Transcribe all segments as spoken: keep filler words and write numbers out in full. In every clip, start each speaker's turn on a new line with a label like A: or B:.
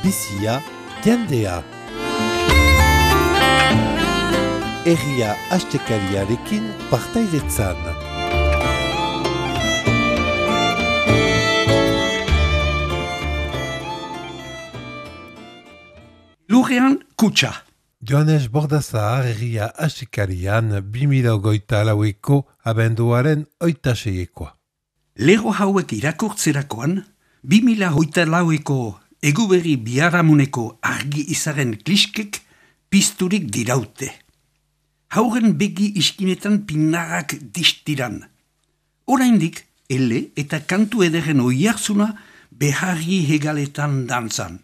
A: bizia, jendea. Herria astekariarekin partaidetzan.
B: Lurrean kutsa.
A: Joanes Bordazar herria astekarian bi mila hogeita laueko abenduaren oita seiekoa.
B: Lego hauek irakurtzerakoan, bi mila hogeita laueko eguberri biharamuneko argi izaren kliskek pizturik diraute. Hauren begi iskinetan pinarrak distiran. Oraindik, ele eta kantu ederen oiarzuna beharri hegaletan dantzan.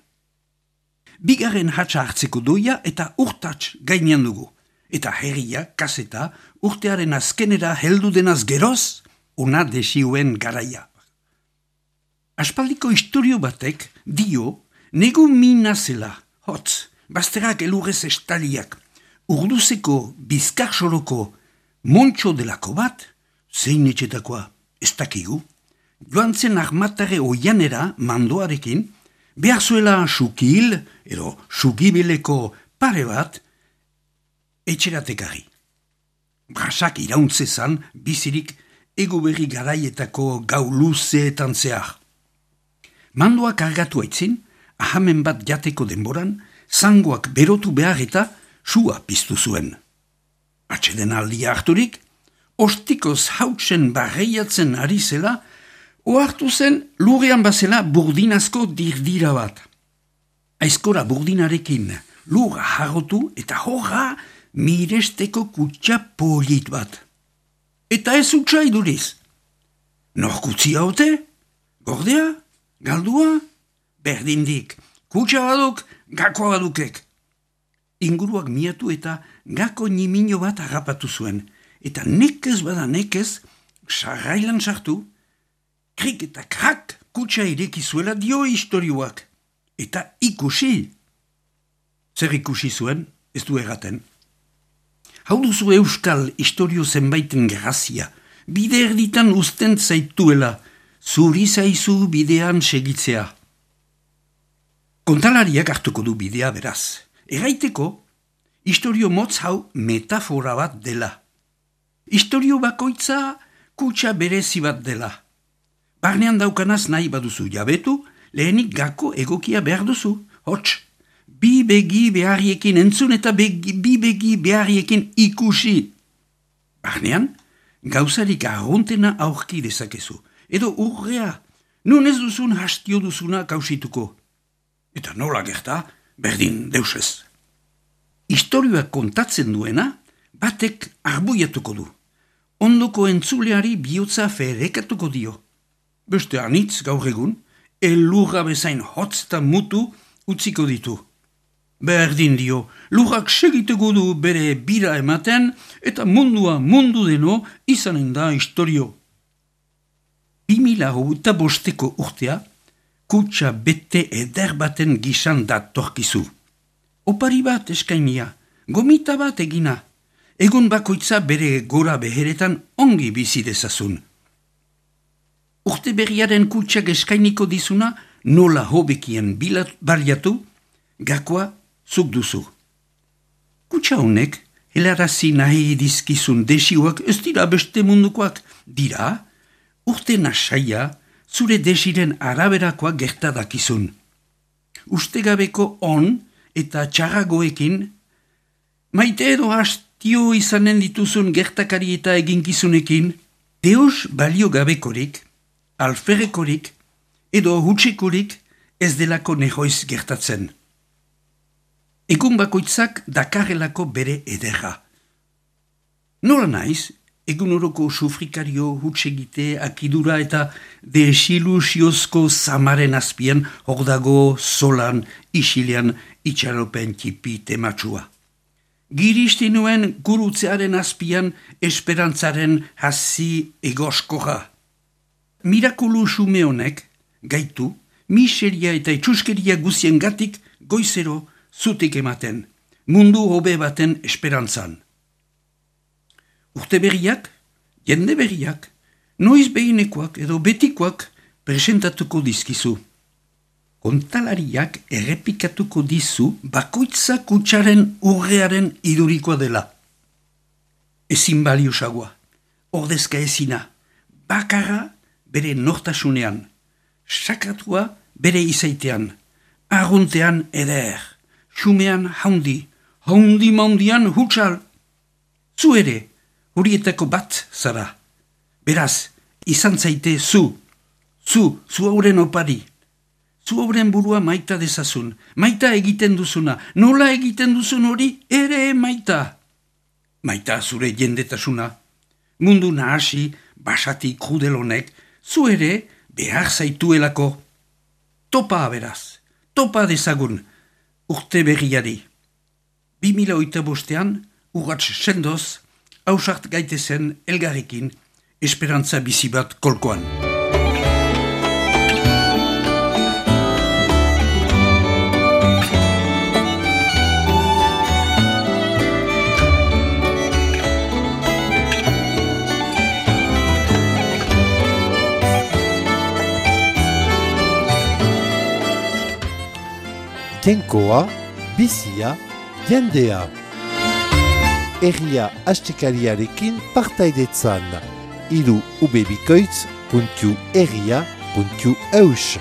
B: Bigarren hatsa hartzeko doia eta urtats gainean dugu. Eta herria, kaseta, urtearen azkenera heldu denaz geroz, ona desioen garaia. Aspaldiko historio batek dio negu mina zela, hotz, bazterak elurrez estaliak, urduzeko bizkarsoroko montxo delako bat, zein etxetakoa ez dakigu, joan zen armatare oianera mandoarekin, behar zuela sukil, edo sugibileko pare bat, etxeratekari. Brasak irauntzezan bizirik eguberri garaietako gau luzeetan zehar. Mandoak argatu aitzin, ahamen bat jateko denboran, zangoak berotu behar eta sua piztu zuen. Atxeden aldia harturik, ostikoz hautsen barreiatzen ari zela, ohartu zen lurrean bazela burdinazko dirdira bat. Aizkora burdinarekin lurra harrotu eta horra miresteko kutsa polit bat. Eta ez utsa iduriz. Nor kutsi haute? Gordea? Galdua? Berdindik. Kutsa baduk, gako badukek. Inguruak miatu eta gako nimino bat harrapatu zuen. Eta nekez bada nekez, sarrailan sartu, krik eta krak kutsa irekizuela dio historioak. Eta ikusi. Zer ikusi zuen, ez du erraten. Hau duzu euskal historio zenbaiten grazia, bide erditan usten zaituela, zuri zaizu bidean segitzea. Kontalariak hartuko du bidea beraz. Erraiteko, historio motz hau metafora bat dela. Historio bakoitza kutsa berezi bat dela. Barnean daukanaz nahi baduzu jabetu, lehenik gako egokia behar duzu, hots. Bi begi beharriekin entzun eta begi, bi begi beharriekin ikusi. Barnean, gauzarik arruntena aurki dezakezu. Edo urrea, nun ez duzun hastio duzuna kausituko. Eta nola gerta, berdin deusez. Historioak kontatzen duena, batek arbuiatuko du. Ondoko entzuleari bihotza ferekatuko dio. Beste anitz gaur egun, elurra bezain hotz eta mutu utziko ditu. Berdin dio, lurrak segituko du bere bira ematen eta mundua mundu deno izanen da historio. Bi mila hogeita bosteko urtea, kutsa bete eder baten gisan datorkizu. Opari bat eskainia, gomita bat egina, egun bakoitza bere gora beheretan ongi bizi dezazun. Urte berriaren kutsak eskainiko dizuna nola hobekien baliatu, gakoa zuk duzu. Kutsa honek, helarazi nahi dizkizun desioak ez dira beste mundukoak, dira, urte nasaia, zure desiren araberakoak gertadakizun. Ustegabeko on eta txarragoekin, maite edo hastio izanen dituzun gertakari eta eginkizunekin, deus balio gabekorik, alferrekorik, edo hutsikorik ez delako nehoiz gertatzen. Egun bakoitzak dakarrelako bere ederra. Nola naiz, egun oroko sufrikario, hutsegite, akidura eta desilusiozko zamaren azpian hor dago zolan, isilean, itxaropen tipi tematsua. Giristi nuen gurutzearen azpian esperantzaren hasi egoskoja. Mirakulu xume honek, gaitu, miseria eta itxuskeria guzien gatik goizero zutik ematen, mundu hobe baten esperantzan. Urte berriak, jende berriak, noiz behinekoak edo betikoak presentatuko dizkizu. Kontalariak errepikatuko dizu bakoitza kutsaren urrearen idurikoa dela. Ezin baliusagoa, ordezka ezina, bakarra bere nortasunean, sakratua bere izaitean, arruntean eder, xumean haundi, haundi maundian hutsal. Zu ere, horietako bat zara. Beraz, izan zaite zu, zu, zu hauren opari. Zu hauren burua maita dezazun, maita egiten duzuna, nola egiten duzun hori ere maita. Maita zure jendetasuna, mundu nahasi, basati krudelonek, zu ere behar zaituelako. Topa beraz, topa dezagun, urte berriari. Bi mila oita bostean, urratx sendoz, hausart gaitezen elgarrekin, esperantza bizi bat kolkoan.
A: Jainkoa, bizia, jendea. Herria astekariarekin partaidetzan. Iru ubebikoitz puntu herria puntu eus.